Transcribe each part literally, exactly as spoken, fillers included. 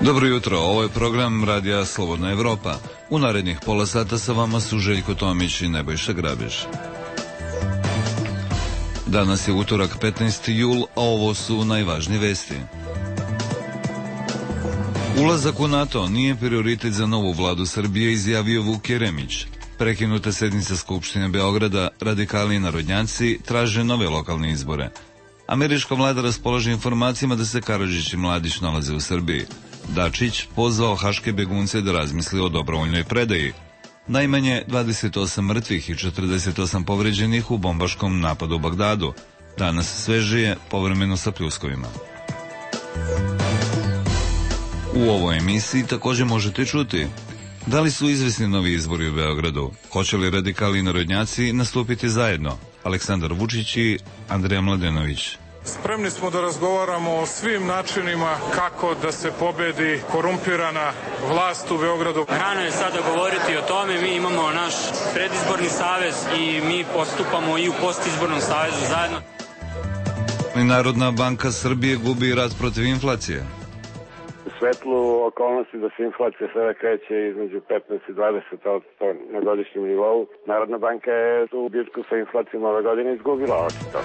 Dobro jutro, ovo je program Radija Slobodna Evropa. U narednih pola sata sa vama su Željko Tomić i Nebojša Grabiš. Danas je utorak petnaesti jul, a ovo su najvažnije vesti. Ulazak u NATO nije prioritet za novu vladu Srbije, izjavio Vuk Jeremić. Prekinuta sednica Skupštine Beograda, radikali i narodnjaci traže nove lokalne izbore. Američka vlada raspolaže informacijama da se Karadžić i Mladić nalaze u Srbiji. Dačić pozvao haške begunce da razmisli o dobrovoljnoj predaji. Najmanje dvadeset osam mrtvih i četrdeset osam povređenih u bombaškom napadu u Bagdadu. Danas svežije, povremeno sa pljuskovima. U ovoj emisiji također možete čuti: da li su izvesni novi izbori u Beogradu? Hoće li radikali i narodnjaci nastupiti zajedno? Aleksandar Vučić i Andreja Mladenović. Spremni smo da razgovaramo o svim načinima kako da se pobedi korumpirana vlast u Beogradu. Rano je sada govoriti o tome, mi imamo naš predizborni savez i mi postupamo i u postizbornom savezu zajedno. Narodna banka Srbije gubi rat protiv inflacije. U svetlu okolnosti da se inflacija sada kreće između petnaest i dvadeset posto na godišnjem nivou, Narodna banka je tu bitku sa inflacijom ove godine izgubila očito.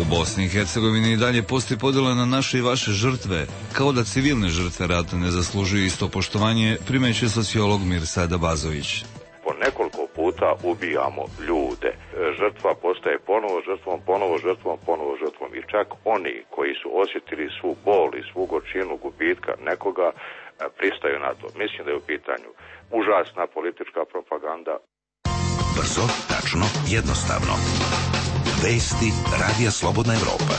U Bosni i Hercegovini i dalje postoji podjela na naše i vaše žrtve, kao da civilne žrtve rata ne zaslužuju isto poštovanje, primećuje sociolog Mirsad Abazović. Po nekoliko puta ubijamo ljude. Žrtva postaje ponovo žrtvom, ponovo žrtvom, ponovo žrtvom. I čak oni koji su osjetili svu bol i svu gorčinu gubitka nekoga pristaju na to. Mislim da je u pitanju užasna politička propaganda. Brzo, tačno, jednostavno. Vesti Radija Slobodna Evropa.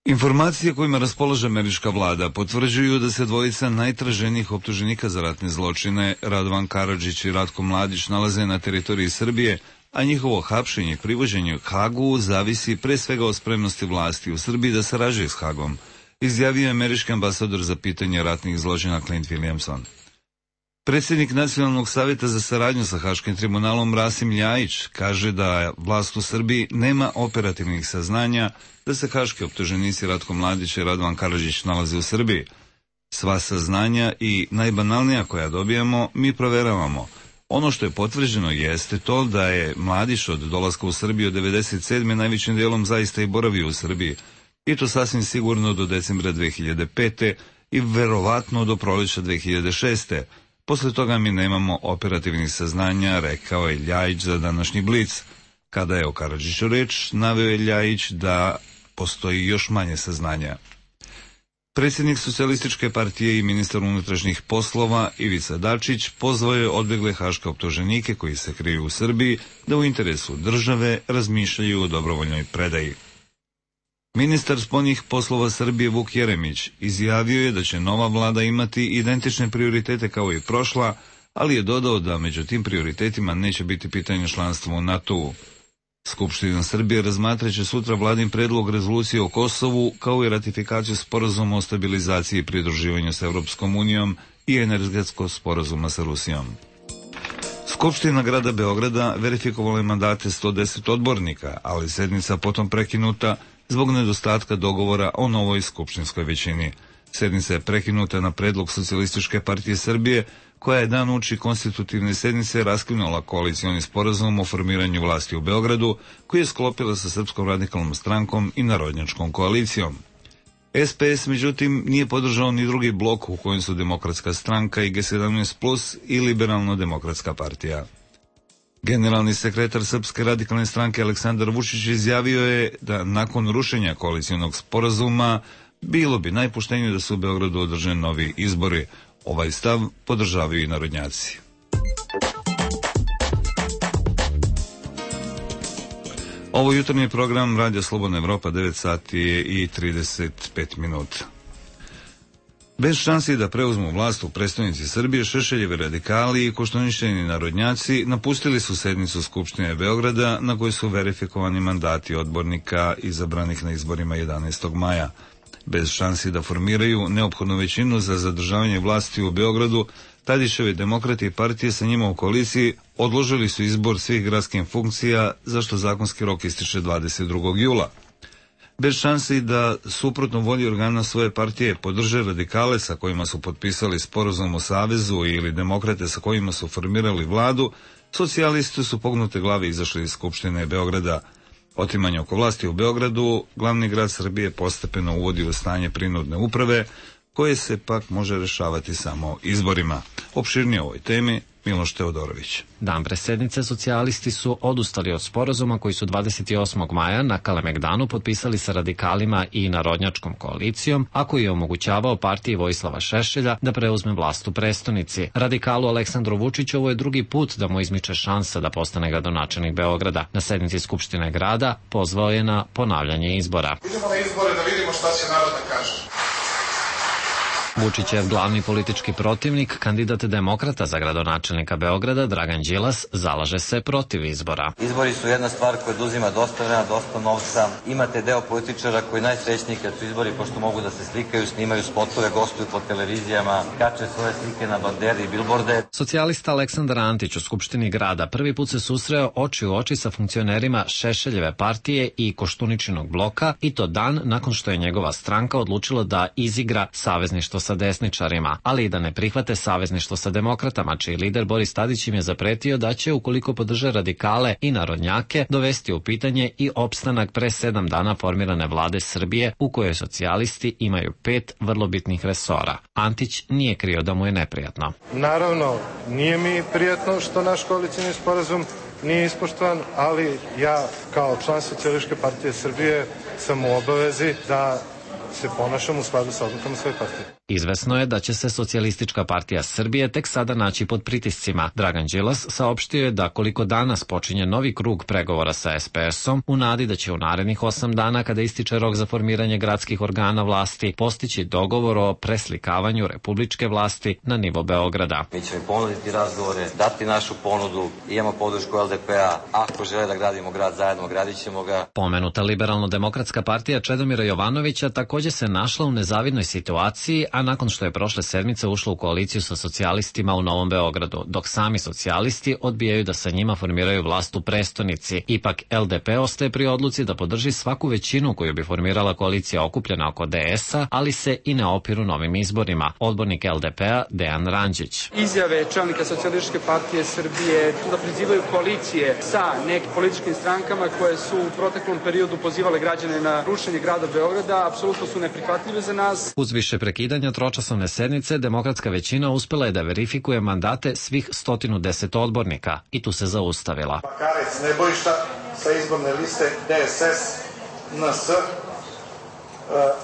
Informacije kojima raspolaže američka vlada potvrđuju da se dvojica najtraženijih optuženika za ratne zločine, Radovan Karadžić i Ratko Mladić, nalaze na teritoriji Srbije, a njihovo hapšenje i privođenje k Hagu zavisi pre svega od spremnosti vlasti u Srbiji da sarađuje s Hagom, izjavio je američki ambasador za pitanje ratnih zločina Clint Williamson. Predsjednik Nacionalnog savjeta za saradnju sa Haškim tribunalom Rasim Ljajić kaže da vlast u Srbiji nema operativnih saznanja da se haški optuženici Ratko Mladić i Radovan Karadžić nalaze u Srbiji. Sva saznanja i najbanalnija koja dobijamo mi proveravamo. Ono što je potvrđeno jeste to da je Mladić od dolaska u Srbiju od devedeset sedme najvećim dijelom zaista i boravio u Srbiji. I to sasvim sigurno do decembra dve hiljade pete i verovatno do proleća dve hiljade šeste. Posle toga mi nemamo operativnih saznanja, rekao je Ljajić za današnji Blic. Kada je o Karadžiću reč, naveo je Ljajić da postoji još manje saznanja. Predsjednik Socijalističke partije i ministar unutrašnjih poslova Ivica Dačić pozvao je odbjegle haške optuženike koji se kriju u Srbiji da u interesu države razmišljaju o dobrovoljnoj predaji. Ministar spoljnih poslova Srbije Vuk Jeremić izjavio je da će nova vlada imati identične prioritete kao i prošla, ali je dodao da među tim prioritetima neće biti pitanje članstva u NATO-u. Skupština Srbije razmatraće sutra vladin predlog rezolucije o Kosovu, kao i ratifikaciju sporazuma o stabilizaciji i pridruživanju s Europskom unijom i energetskog sporazuma sa Rusijom. Skupština grada Beograda verifikovala je mandate sto deset odbornika, ali sednica potom prekinuta zbog nedostatka dogovora o novoj skupštinskoj većini. Sednica je prekinuta na predlog Socijalističke partije Srbije, koja je dan uoči konstitutivne sednice raskinula koalicioni sporazum o formiranju vlasti u Beogradu, koji je sklopila sa Srpskom radikalnom strankom i Narodnjačkom koalicijom. es pe es, međutim, nije podržao ni drugi blok u kojem su Demokratska stranka i ge sedamnaest plus i Liberalno-demokratska partija. Generalni sekretar Srpske radikalne stranke Aleksandar Vučić izjavio je da nakon rušenja koalicijonog sporazuma bilo bi najpoštenije da se u Beogradu održe novi izbori. Ovaj stav podržavaju i narodnjaci. Ovo jutarnji program Radija Slobodna Evropa, devet sati i trideset pet minuta. Bez šansi da preuzmu vlast u prestonici Srbije, Šešeljevi radikali i koštuničeni narodnjaci napustili su sednicu Skupštine Beograda na kojoj su verifikovani mandati odbornika izabranih na izborima jedanaestog maja. Bez šansi da formiraju neophodnu većinu za zadržavanje vlasti u Beogradu, Tadićevi demokrati i partije sa njima u koaliciji odložili su izbor svih gradskih funkcija, za što zakonski rok ističe dvadeset drugog jula. bez šansi da suprotno volji organa svoje partije podrže radikale sa kojima su potpisali sporazum o savezu ili demokrate sa kojima su formirali vladu, socijalisti su pognute glave izašli iz Skupštine Beograda. Otimanje oko vlasti u Beogradu, glavni grad Srbije postepeno uvodi u stanje prinudne uprave, koje se pak može rešavati samo izborima. Opširnije o ovoj temi Miloš Teodorović. Dan pre sednice socijalisti su odustali od sporazuma koji su dvadeset osmog maja na Kalemegdanu potpisali sa radikalima i narodnjačkom koalicijom, a koji je omogućavao partiji Vojislava Šešelja da preuzme vlast u prestonici. Radikalu Aleksandru Vučiću ovo je drugi put da mu izmiče šansa da postane gradonačelnik Beograda. Na sednici Skupštine grada pozvao je na ponavljanje izbora. Idemo na izbore da vidimo šta će narod da kaže. Vučićev glavni politički protivnik, kandidat demokrata za gradonačelnika Beograda, Dragan Đilas, zalaže se protiv izbora. Izbori su jedna stvar koja oduzima dosta vremena, dosta novca. Imate deo političara koji najsrećniji kad su izbori, pošto mogu da se slikaju, snimaju spotove, gostuju po televizijama, kače svoje slike na banderi i bilborde. Socijalista Aleksandar Antić u Skupštini grada prvi put se susreo oči u oči sa funkcionerima Šešeljeve partije i Koštuničinog bloka, i to dan nakon što je njegova stranka odlučila da izigra savezništvo sa desničarima, ali i da ne prihvate savezništvo sa demokratama, čiji lider Boris Tadić im je zapretio da će, ukoliko podrže radikale i narodnjake, dovesti u pitanje i opstanak pre sedam dana formirane vlade Srbije, u kojoj socijalisti imaju pet vrlo bitnih resora. Antić nije krio da mu je neprijatno. Naravno, nije mi prijatno što naš koalicijni sporazum nije ispoštovan, ali ja kao član Socijalističke partije Srbije sam u obavezi da se ponašam u skladu sa odlukama svoje partije. Izvesno je da će se Socijalistička partija Srbije tek sada naći pod pritiscima. Dragan Đilas saopštio je da koliko danas počinje novi krug pregovora sa es pe esom, u nadi da će u narednih osam dana, kada ističe rok za formiranje gradskih organa vlasti, postići dogovor o preslikavanju republičke vlasti na nivo Beograda. Mi ćemo ponuditi razgovore, dati našu ponudu, imamo podršku el de pe-a, ako žele da gradimo grad zajedno, gradit ćemo ga. Pomenuta liberalno-demokratska partija Čedomira Jovanovića takođe se našla u nezavidnoj situaciji, a nakon što je prošle sedmice ušla u koaliciju sa socijalistima u Novom Beogradu, dok sami socijalisti odbijaju da sa njima formiraju vlast u prestonici. Ipak el de pe ostaje pri odluci da podrži svaku većinu koju bi formirala koalicija okupljena oko de esa, ali se i ne opiru novim izborima. Odbornik el de pe-a Dejan Ranđić. Izjave čelnika Socijalističke partije Srbije da prizivaju koalicije sa nekim političkim strankama koje su u proteklom periodu pozivale građane na rušenje grada Beograda, apsolutno su neprihvatljive za nas. Uz više prekidanja tročasovne sednice, demokratska većina uspela je da verifikuje mandate svih sto deset odbornika i tu se zaustavila. Bakarec Nebojša sa izborne liste de es es en es,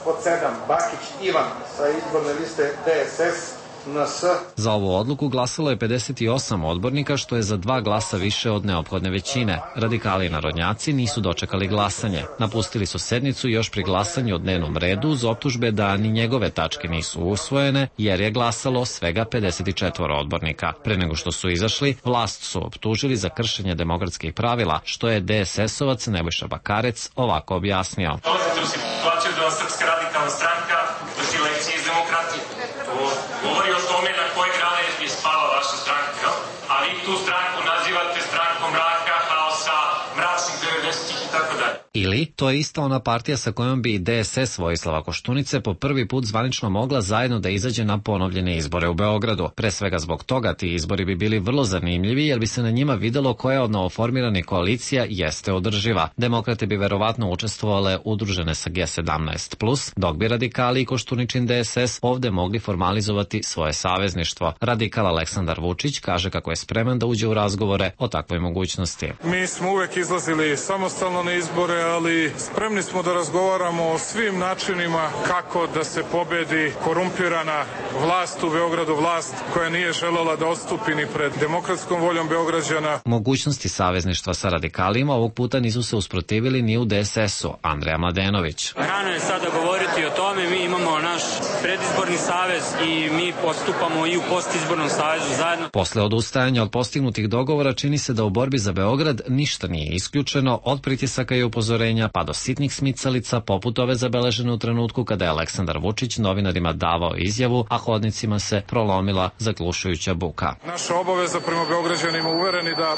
pod sedam Bakić Ivan sa izborne liste de es es en es. Za ovu odluku glasalo je pedeset osam odbornika, što je za dva glasa više od neophodne većine. Radikali i narodnjaci nisu dočekali glasanje. Napustili su sednicu još pri glasanju o dnevnom redu uz optužbe da ni njegove tačke nisu usvojene, jer je glasalo svega pedeset četiri odbornika. Pre nego što su izašli, vlast su optužili za kršenje demokratskih pravila, što je de es esovac Nebojša Bakarec ovako objasnio. Dolazite u situaciju da vam Srpska radikalna stranka drži lekcije iz demokratije. To govori o tome na koje grane je spala vaša stranka, a vi tu stranku nazivate strankom mraka, haosa, mračnih devedesetih i tako dalje. Ili, to je ista ona partija sa kojom bi de es es Vojislava Koštunice po prvi put zvanično mogla zajedno da izađe na ponovljene izbore u Beogradu. Pre svega zbog toga ti izbori bi bili vrlo zanimljivi, jer bi se na njima videlo koja od novoformiranih koalicija jeste održiva. Demokrate bi verovatno učestvovale udružene sa ge sedamnaest plus, dok bi radikali i Koštuničin de es es ovde mogli formalizovati svoje savezništvo. Radikal Aleksandar Vučić kaže kako je spreman da uđe u razgovore o takvoj mogućnosti. Mi smo uvek izlazili samostalno na izbore, ali spremni smo da razgovaramo o svim načinima kako da se pobedi korumpirana vlast u Beogradu, vlast koja nije želela da odstupi ni pred demokratskom voljom Beograđana. Mogućnosti savezništva sa radikalima ovog puta nisu se usprotivili ni u de es esu. Andreja Mladenović. Rano je sada govoriti o tome, mi imamo naš predizborni savez i mi postupamo i u postizbornom savezu zajedno. Posle odustajanja od postignutih dogovora čini se da u borbi za Beograd ništa nije isključeno, od pritisaka i upozorenja pa do sitnih smicalica poput ove zabeležene u trenutku kada je Aleksandar Vučić novinarima davao izjavu, a hodnicima se prolomila zaglušujuća buka. Naša obaveza prema Beograđanima, uvereni da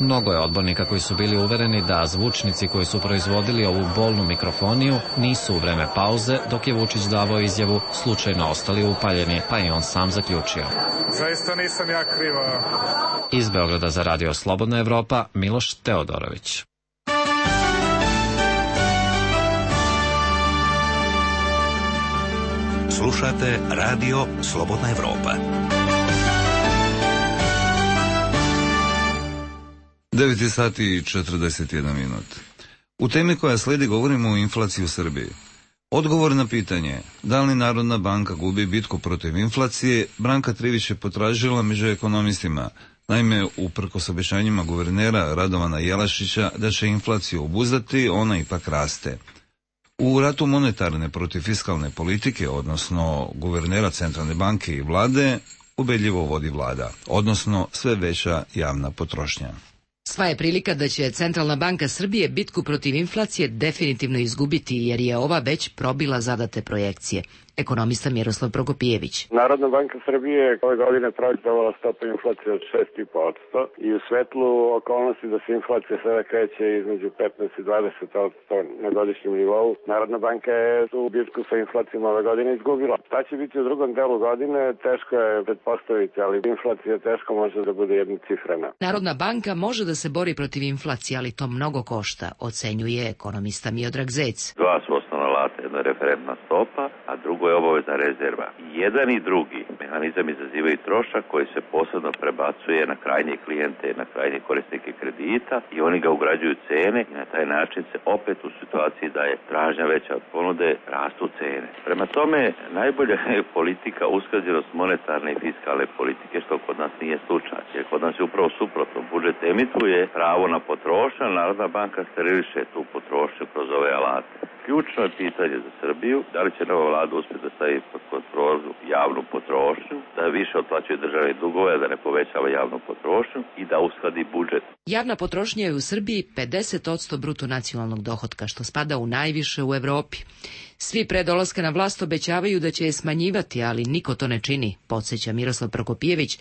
Mnogo je odbornika koji su bili uvereni da zvučnici koji su proizvodili ovu bolnu mikrofoniju nisu u vreme pauze, dok je Vučić davao izjavu, slučajno ostali upaljeni, pa i on sam zaključio. Zaista nisam ja kriva. Iz Beograda za Radio Slobodna Evropa, Miloš Teodorović. Slušate Radio Slobodna Evropa. devet sati i četrdeset jedan minut. U temi koja sledi govorimo o inflaciji u Srbiji. Odgovor na pitanje da li Narodna banka gubi bitku protiv inflacije, Branka Trivić je potražila među ekonomistima. Naime, uprkos obećanjima guvernera Radovana Jelašića da će inflaciju obuzdati, ona ipak raste. U ratu monetarne protiv fiskalne politike, odnosno guvernera Centralne banke i vlade, ubedljivo vodi vlada, odnosno sve veća javna potrošnja. Sva je prilika da će Centralna banka Srbije bitku protiv inflacije definitivno izgubiti, jer je ova već probila zadate projekcije. Ekonomista Miroslav Prokopijević. Narodna banka Srbije ove godine projektovala stopu inflacije od šest i po posto i u svetlu okolnosti da se inflacija sada kreće između petnaest i dvadeset posto na godišnjem nivou, Narodna banka je tu bitku sa inflacijom ove godine izgubila. Šta će biti u drugom delu godine, teško je pretpostaviti, ali inflacija teško može da bude jednocifrena. Narodna banka može da se bori protiv inflacije, ali to mnogo košta, ocenjuje ekonomista Miodrag Zec. Dva su osnovna alata, jedna je referentna stopa, a drugo je obavezna rezerva. Jedan i drugi mehanizam izazivaju trošak koji se posebno prebacuje na krajnje klijente, na krajnje korisnike kredita i oni ga ugrađuju cene i na taj način se opet u situaciji da je tražnja veća od ponude, rastu cene. Prema tome, najbolja je politika usklađenost monetarne i fiskalne politike, što kod nas nije slučaj. Jer kod nas je upravo suprotno. Budžet emituje pravo na potrošnju, Narodna banka steriliše tu potrošnju kroz ove alate. Ključno je pitanje za Srbiju, da li će nova vlada uspjeti da stavi pod kontrolu javnu potrošnju, da više otplaćuje državne dugove, da ne povećava javnu potrošnju i da uskladi budžet. Javna potrošnja je u Srbiji pedeset posto bruto nacionalnog dohotka, što spada u najviše u Evropi. Svi pre dolaska na vlast obećavaju da će je smanjivati, ali niko to ne čini, podsjeća Miroslav Prokopijević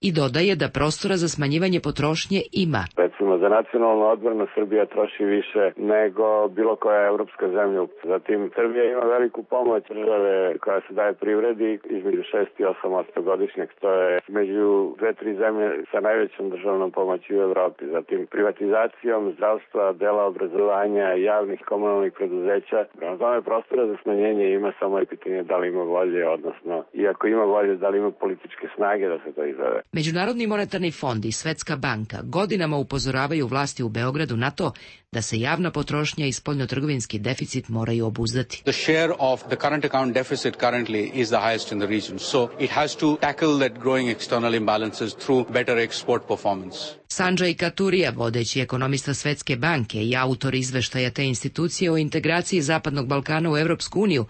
i dodaje da prostora za smanjivanje potrošnje ima. Recimo, za nacionalnu odbranu Srbija troši više nego bilo koja evropska zemlja. Zatim, Srbija ima veliku pomoć države koja se daje privredi između šest i osam posto godišnjeg, to je među dve, tri zemlje sa najvećom državnom pomoći u Evropi. Zatim, privatizacijom zdravstva, dela obrazovanja, javnih komunalnih preduzeća. Prema tome, prostora za smanjenje ima, samo je pitanje da li ima volje, odnosno, iako ima volje, da li ima političke snage da se to izvede. Međunarodni monetarni fond i Svetska banka godinama upozoravaju vlasti u Beogradu na to da se javna potrošnja i spoljnotrgovinski deficit moraju obuzdati. The share of the current account deficit currently is the highest in the region, so it has to tackle that growing external imbalances through better export performance. Sanđaj Katurija, vodeći ekonomista Svetske banke i autor izveštaja te institucije o integraciji Zapadnog Balkana u Evropsku uniju,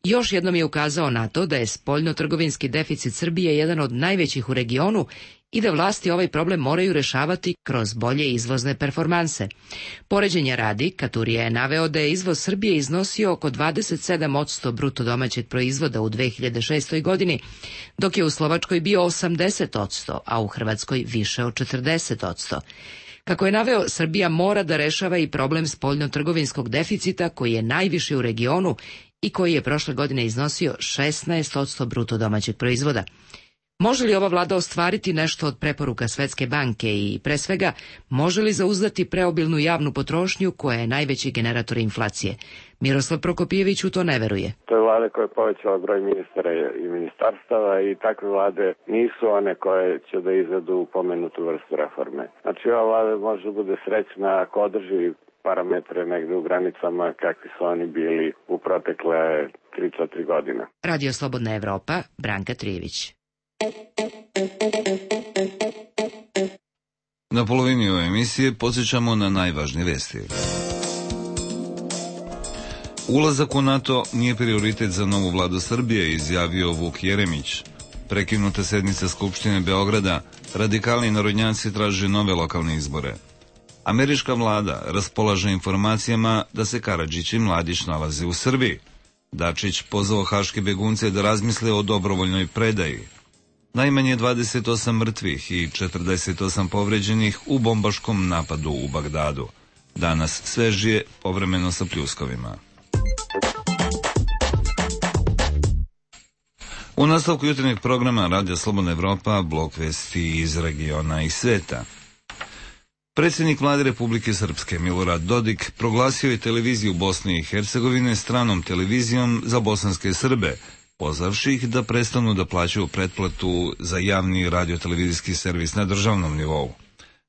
još jednom je ukazao na to da je spoljnotrgovinski deficit Srbije jedan od najvećih u regionu i da vlasti ovaj problem moraju rešavati kroz bolje izvozne performanse. Poređenja radi, Katurija je naveo da je izvoz Srbije iznosio oko dvadeset sedam posto bruto domaćeg proizvoda u dve hiljade šestoj godini, dok je u Slovačkoj bio osamdeset posto, a u Hrvatskoj više od četrdeset posto. Kako je naveo, Srbija mora da rešava i problem spoljnotrgovinskog deficita koji je najviši u regionu i koji je prošle godine iznosio šesnaest posto bruto domaćeg proizvoda. Može li ova vlada ostvariti nešto od preporuka Svetske banke i, pre svega, može li zauzdati preobilnu javnu potrošnju koja je najveći generator inflacije? Miroslav Prokopijević u to ne veruje. To je vlada koja je povećala broj ministara i ministarstava i takve vlade nisu one koje će da izvedu pomenutu vrstu reforme. Znači, ova vlada može da bude srećna ako održi parametre negde u granicama kakvi su oni bili u protekle tri do četiri godine. Radio Slobodna Evropa, Branka Trivić. Na polovini ove emisije podsjećamo na najvažnije vesti. Ulazak u NATO nije prioritet za novu vladu Srbije, izjavio Vuk Jeremić. Prekinuta sednica Skupštine Beograda, radikalni narodnjaci traže nove lokalne izbore. Američka vlada raspolaže informacijama da se Karadžić i Mladić nalaze u Srbiji. Dačić pozvao haške begunce da razmisle o dobrovoljnoj predaji. Najmanje dvadeset osam mrtvih i četrdeset osam povređenih u bombaškom napadu u Bagdadu. Danas svežije, povremeno sa pljuskovima. U nastavku jutarnjeg programa Radija Slobodna Evropa, blok vesti iz regiona i sveta. Predsjednik vlade Republike Srpske Milorad Dodik proglasio je televiziju Bosne i Hercegovine stranom televizijom za bosanske Srbe, pozvavši ih da prestanu da plaćaju pretplatu za javni radiotelevizijski servis na državnom nivou.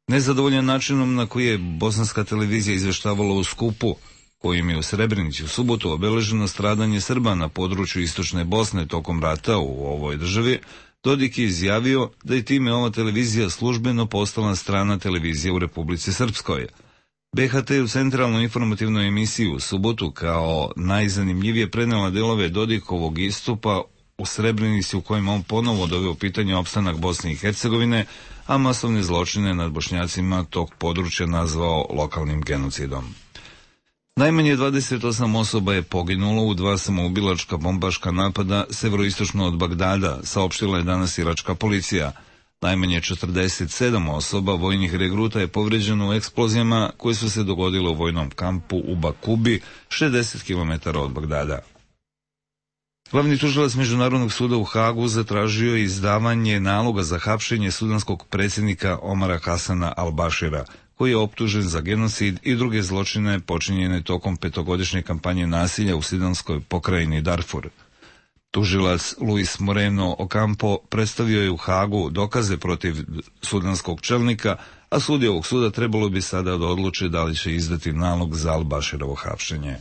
Nezadovoljan načinom na koji je bosanska televizija izveštavala u skupu, kojim je u Srebrenici u subotu obeleženo stradanje Srba na području istočne Bosne tokom rata u ovoj državi, Dodik je izjavio da je time ova televizija službeno postala strana televizija u Republici Srpskoj. B H T u centralnoj informativnoj emisiji u subotu kao najzanimljivije prenela delove Dodikovog istupa u Srebrenici u kojem on ponovo doveo pitanje opstanak Bosne i Hercegovine, a masovne zločine nad Bošnjacima tog područja nazvao lokalnim genocidom. Najmanje dvadeset osam osoba je poginulo u dva samoubilačka bombaška napada severoistočno od Bagdada, saopštila je danas iračka policija. Najmanje četrdeset sedam osoba vojnih regruta je povređeno u eksplozijama koje su se dogodile u vojnom kampu u Bakubi, šezdeset kilometara od Bagdada. Glavni tužilac Međunarodnog suda u Hagu zatražio izdavanje naloga za hapšenje sudanskog predsjednika Omara Hasana al-Bashira, koji je optužen za genocid i druge zločine počinjene tokom petogodišnje kampanje nasilja u sudanskoj pokrajini Darfur. Tužilac Luis Moreno Ocampo predstavio je u Hagu dokaze protiv sudanskog čelnika, a sudije ovog suda trebalo bi sada da odluče da li će izdati nalog za al-Bashirovo hapšenje.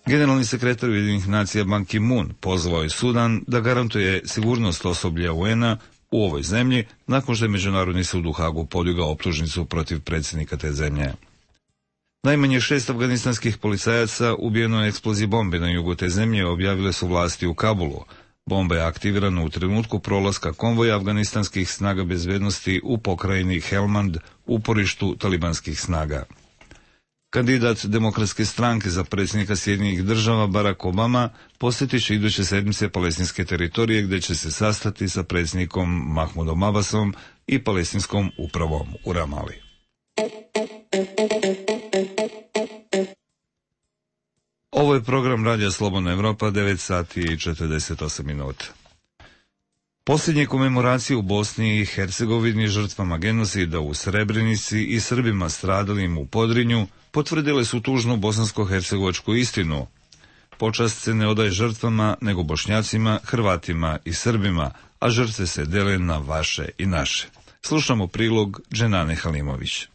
Generalni sekretar Ujedinjenih nacija Ban Ki-moon pozvao je Sudan da garantuje sigurnost osoblja U N-a u ovoj zemlji nakon što je Međunarodni sud u Hagu podigao optužnicu protiv predsjednika te zemlje. Najmanje šest afganistanskih policajaca ubijeno je eksploziji bombe na jugu te zemlje, objavile su vlasti u Kabulu. Bomba je aktivirana u trenutku prolaska konvoja afganistanskih snaga bezbednosti u pokrajini Helmand, uporištu talibanskih snaga. Kandidat Demokratske stranke za predsjednika Sjedinjenih država Barack Obama posjetit će iduće sedmice palestinske teritorije gdje će se sastati sa predsjednikom Mahmudom Abbasom i palestinskom upravom u Ramali. Ovo je program Radija Slobodna Evropa, devet sati i četrdeset osam minuta. Posljednje komemoracije u Bosni i Hercegovini žrtvama genocida u Srebrenici i Srbima stradalim u Podrinju potvrdile su tužnu bosansko-hercegovačku istinu. Počast se ne odaje žrtvama, nego Bošnjacima, Hrvatima i Srbima, a žrtve se dele na vaše i naše. Slušamo prilog Dženane Halimović.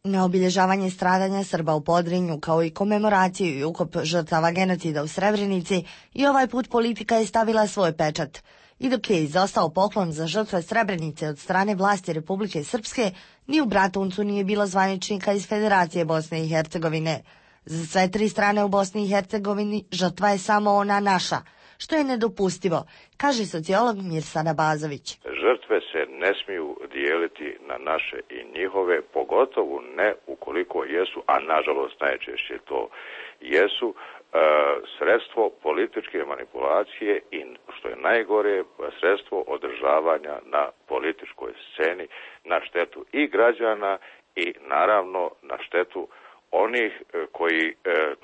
Na obilježavanje stradanja Srba u Podrinju, kao i komemoraciju i ukop žrtava genocida u Srebrenici, i ovaj put politika je stavila svoj pečat. I dok je izostao poklon za žrtve Srebrenice od strane vlasti Republike Srpske, ni u Bratuncu nije bilo zvaničnika iz Federacije Bosne i Hercegovine. Za sve tri strane u Bosni i Hercegovini žrtva je samo ona naša, što je nedopustivo, kaže sociolog Mirsad Abazović. Žrtve se ne smiju dijeliti na naše i njihove, pogotovo ne ukoliko jesu, a nažalost najčešće to jesu, sredstvo političke manipulacije i, što je najgore, sredstvo održavanja na političkoj sceni na štetu i građana i naravno na štetu onih koji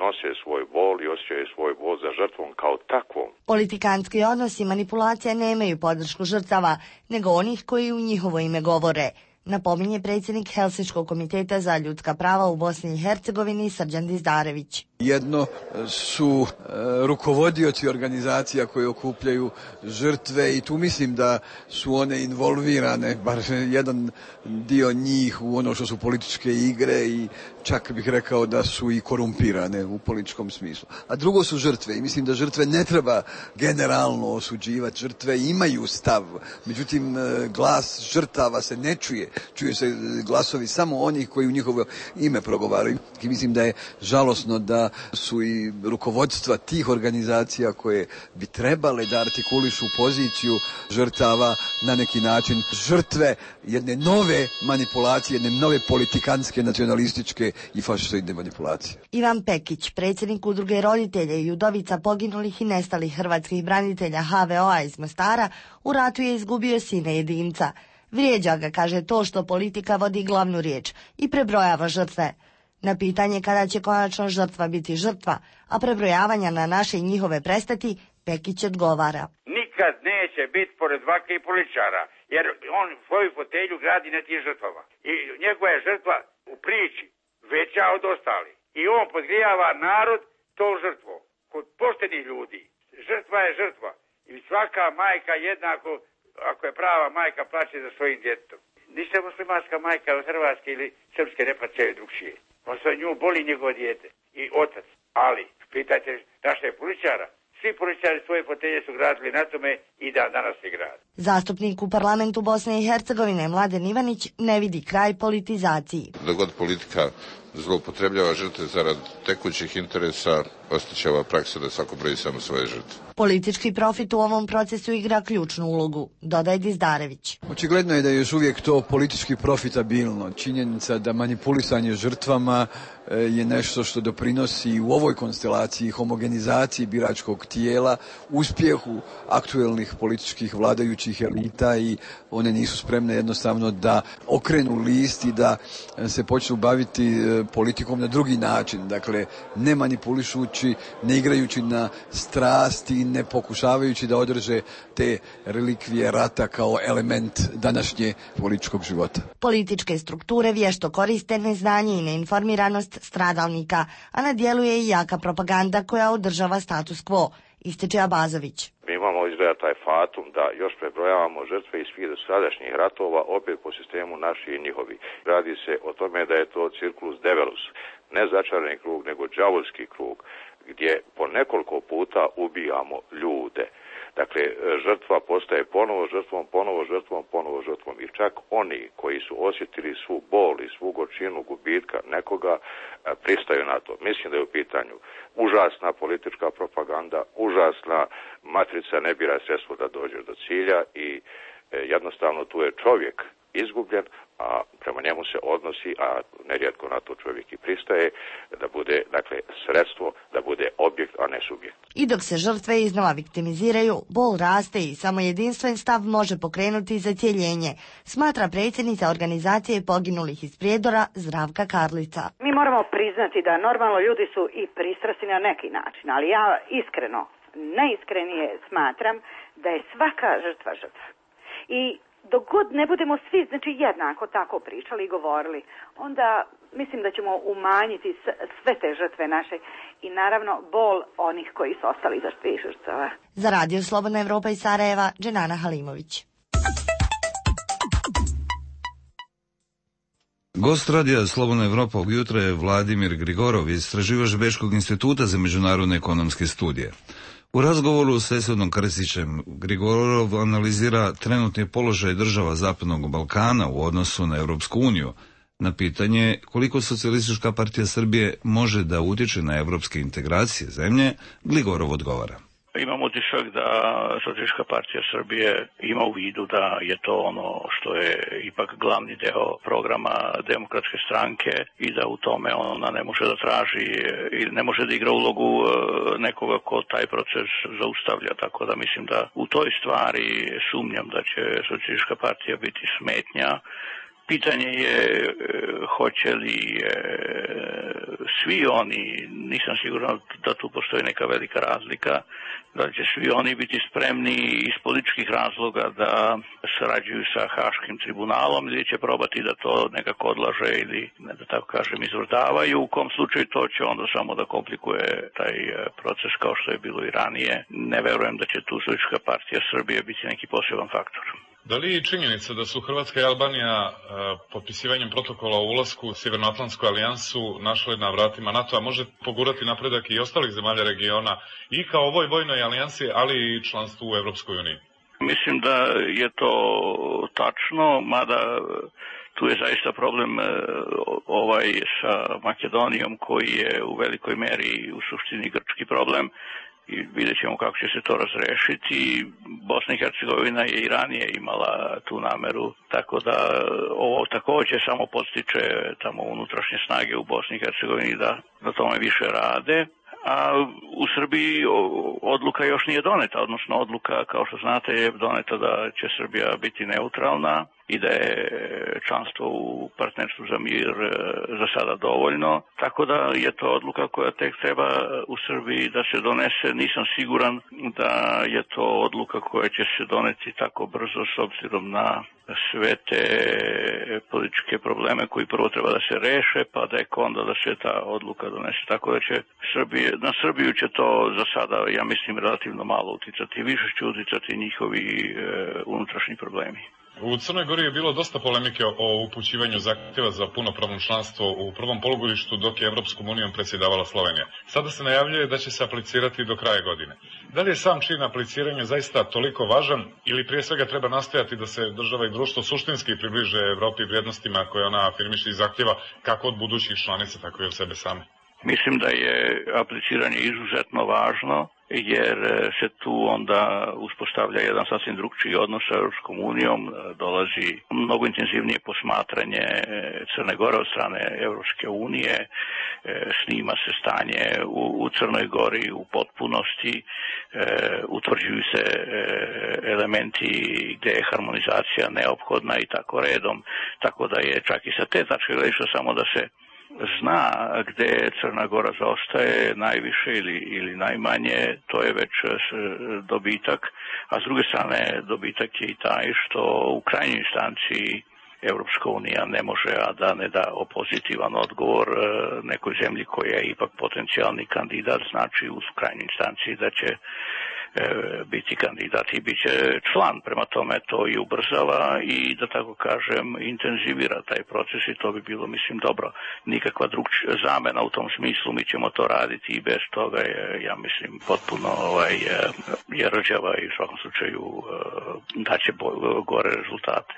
nose svoj bol i osjećaju svoj bol za žrtvom kao takvom. Politikanski odnosi i manipulacija nemaju podršku žrtava, nego onih koji u njihovo ime govore, napominje predsjednik Helsinškog komiteta za ljudska prava u Bosni i Hercegovini Srđan Dizdarević. Jedno su e, rukovodioci organizacija koje okupljaju žrtve i tu mislim da su one involvirane, bar jedan dio njih, u ono što su političke igre i čak bih rekao da su i korumpirane u političkom smislu. A drugo su žrtve i mislim da žrtve ne treba generalno osuđivati. Žrtve imaju stav, međutim glas žrtava se ne čuje čuje se glasovi samo onih koji u njihovo ime progovaraju. I mislim da je žalosno da su i rukovodstva tih organizacija koje bi trebale da artikulišu poziciju žrtava na neki način žrtve jedne nove manipulacije, jedne nove politikanske, nacionalističke i fašistoidne manipulacije. Ivan Pekić, predsjednik udruge roditelja i udovica poginulih i nestalih hrvatskih branitelja H V O-a iz Mostara, u ratu je izgubio sina jedinca. Vrijeđa ga, kaže, to što politika vodi glavnu riječ i prebrojava žrtve. Na pitanje kada će konačno žrtva biti žrtva, a prebrojavanja na naše i njihove prestati, Pekić odgovara. Nikad neće biti pored vake i političara, jer on svoju fotelju gradi na tim žrtvama. I njegova je žrtva u priči veća od ostali. I on podgrijava narod to žrtvo. Kod poštenih ljudi žrtva je žrtva. I svaka majka jednako, ako je prava majka, plaće za svojim djetetom. Ništa muslimanska majka od Hrvatske ili srpske ne plaćaju drugšije. On se nju boli njegov dijete i otac. Ali, pitajte naše političara, svi političari svoje fotelje su gradili na tome i da danas se grade. Zastupnik u parlamentu Bosne i Hercegovine Mladen Ivanić ne vidi kraj politizaciji. Dok god politika zloupotrebljava žrtve zarad tekućih interesa, ostaće ova praksa da svako broji samo svoje žrtve. Politički profit u ovom procesu igra ključnu ulogu, dodaje Dizdarević. Očigledno je da je još uvijek to politički profitabilno. Činjenica da manipulisanje žrtvama je nešto što doprinosi u ovoj konstelaciji homogenizaciji biračkog tijela, uspjehu aktuelnih političkih vladajućih elita i one nisu spremne jednostavno da okrenu list i da se počnu baviti politikom na drugi način. Dakle, ne manipulišući, ne igrajući na strasti, ne pokušavajući da održe te relikvije rata kao element današnje političkog života. Političke strukture vješto koriste neznanje i neinformiranost stradalnika, a na djelu je i jaka propaganda koja održava status quo, ističe Abazović. Mi imamo izgleda taj fatum da još prebrojavamo žrtve iz svih sadašnjih ratova, opet po sistemu naši i njihovi. Radi se o tome da je to circulus develus, ne začarani krug, nego đavolski krug, gdje po nekoliko puta ubijamo ljude. Dakle, žrtva postaje ponovo žrtvom, ponovo žrtvom, ponovo žrtvom. I čak oni koji su osjetili svu bol i svu gorčinu gubitka nekoga pristaju na to. Mislim da je u pitanju užasna politička propaganda, užasna matrica ne bira sredstvo da dođe do cilja i jednostavno tu je čovjek izgubljen, a prema njemu se odnosi, a nerijetko na to čovjek i pristaje, da bude, dakle, sredstvo, da bude objekt, a ne subjekt. I dok se žrtve iznova viktimiziraju, bol raste i samo jedinstven stav može pokrenuti zacjeljenje, smatra predsjednica organizacije poginulih iz Prijedora Zdravka Karlica. Mi moramo priznati da normalno ljudi su i pristrasni na neki način, ali ja iskreno, najiskrenije smatram da je svaka žrtva žrtva. I dok god ne budemo svi, znači, jednako tako pričali i govorili, onda mislim da ćemo umanjiti sve te žrtve naše i naravno bol onih koji su ostali za svih žrtava. Za Radio Slobodna Evropa iz Sarajeva, Dženana Halimović. Gost radija Slobodna Evropa ovog jutra je Vladimir Grigorov, istraživač Bečkog instituta za međunarodne ekonomske studije. U razgovoru s Esvedom Krstićem Grigorov analizira trenutni položaj država Zapadnog Balkana u odnosu na Europsku uniju. Na pitanje koliko Socijalistička partija Srbije može da utječe na evropske integracije zemlje, Grigorov odgovara. Imam utisak da Socijalistička partija Srbije ima u vidu da je to ono što je ipak glavni deo programa Demokratske stranke i da u tome ona ne može da traži i ne može da igra ulogu nekoga ko taj proces zaustavlja. Tako da mislim da u toj stvari sumnjam da će Socijalistička partija biti smetnja. Pitanje je hoće li svi oni, nisam siguran da tu postoji neka velika razlika, da će svi oni biti spremni iz političkih razloga da sarađuju sa Haškim tribunalom ili će probati da to nekako odlaže ili, da tako kažem, izvrdavaju. U kom slučaju to će onda samo da komplikuje taj proces kao što je bilo i ranije. Ne verujem da će tu Socijalistička partija Srbije biti neki poseban faktor. Da li je činjenica da su Hrvatska i Albanija e, potpisivanjem protokola o ulasku u Sjevernoatlantsku alijansu našle na vratima NATO-a može pogurati napredak i ostalih zemalja regiona i kao ovoj vojnoj alijansi, ali i članstvu u Evropskoj uniji? Mislim da je to tačno, mada Tu je zaista problem ovaj sa Makedonijom koji je u velikoj meri u suštini grčki problem i vidjet ćemo kako će se to razrešiti. Bosna i Hercegovina je i ranije imala tu nameru, tako da ovo također samo podstiče tamo unutrašnje snage u Bosni i Hercegovini da na tome više rade. A u Srbiji odluka još nije doneta, odnosno odluka, kao što znate, je doneta da će Srbija biti neutralna i da je članstvo u partnerstvu za mir za sada dovoljno. Tako da je to odluka koja tek treba u Srbiji da se donese. Nisam siguran da je to odluka koja će se doneti tako brzo s obzirom na sve te političke probleme koji prvo treba da se reše, pa da je onda da se ta odluka donese. Tako da će Srbije, na Srbiju će to za sada, ja mislim, relativno malo uticati. Više će uticati njihovi e, unutrašnji problemi. U Crnoj Gori je bilo dosta polemike o upućivanju zahtjeva za punopravno članstvo u prvom polugodištu dok je Evropskom unijom predsjedavala Slovenija. Sada se najavljuje da će se aplicirati do kraja godine. Da li je sam čin apliciranja zaista toliko važan ili prije svega treba nastojati da se država i društvo suštinski približe Evropi vrijednostima koje ona afirmiše i zahtjeva kako od budućih članica, tako i od sebe same? Mislim da je apliciranje izuzetno važno, jer se tu onda uspostavlja jedan sasvim drugčiji odnos sa Europskom unijom, dolazi mnogo intenzivnije posmatranje Crne Gore od strane Europske unije, snima se stanje u, u Crnoj Gori u potpunosti, utvrđuju se elementi gdje je harmonizacija neophodna i tako redom, tako da je čak i sa te tačke gledišta samo da se zna gdje Crna Gora zaostaje najviše ili, ili najmanje, to je već dobitak, a s druge strane dobitak je i taj što u krajnjoj instanci Europska unija ne može, a da ne da pozitivan odgovor nekoj zemlji koja je ipak potencijalni kandidat, znači u krajnjoj instanci da će biti kandidat i bit će član, prema tome to i ubrzava i, da tako kažem, intenzivira taj proces i to bi bilo, mislim, dobro. Nikakva drugčija zamena u tom smislu, mi ćemo to raditi i bez toga je, ja mislim, potpuno ovaj, je rđava i u svakom slučaju daće gore rezultate.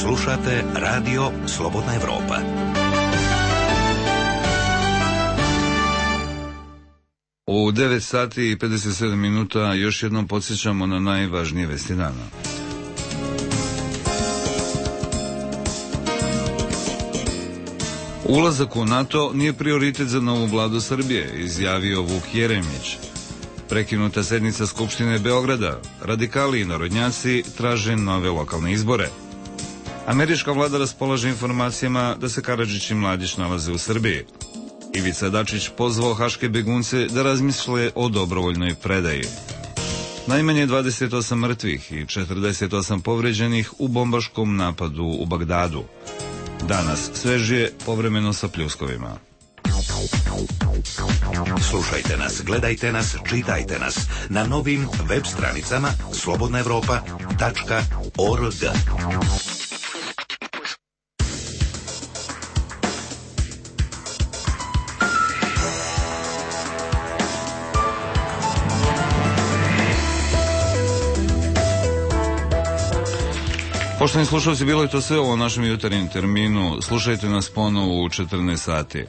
Slušate radio Slobodna Evropa. U devet sati i pedeset sedam minuta još jednom podsjećamo na najvažnije vesti dana. Ulazak u NATO nije prioritet za novu vladu Srbije, izjavio Vuk Jeremić. Prekinuta sednica Skupštine Beograda, radikali i narodnjaci traže nove lokalne izbore. Američka vlada raspolaže informacijama da se Karadžić i Mladić nalaze u Srbiji. Ivica Dačić pozvao haške begunce da razmisle o dobrovoljnoj predaji. Najmanje dvadeset osam mrtvih i četrdeset osam povređenih u bombaškom napadu u Bagdadu. Danas svežije, povremeno sa pljuskovima. Slušajte nas, gledajte nas, čitajte nas na novim web stranicama slobodna evropa tačka org. Poštovani slušalci, bilo je to sve u našem jutarnjem terminu. Slušajte nas ponovo u četrnaest sati.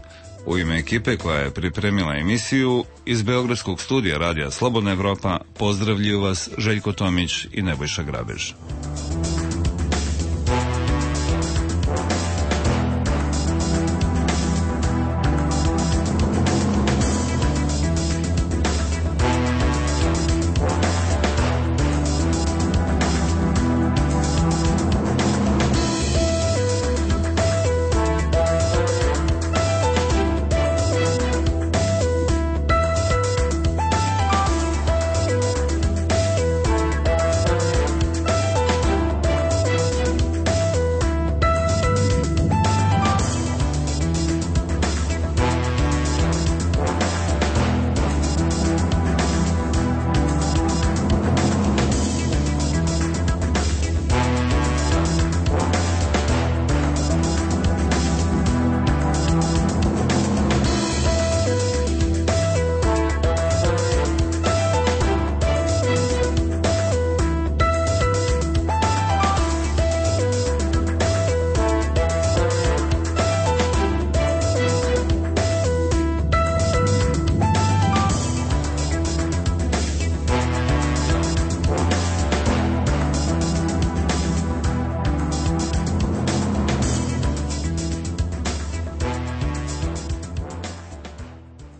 U ime ekipe koja je pripremila emisiju iz Beogradskog studija radija Slobodna Evropa pozdravljuju vas Željko Tomić i Nebojša Grabež.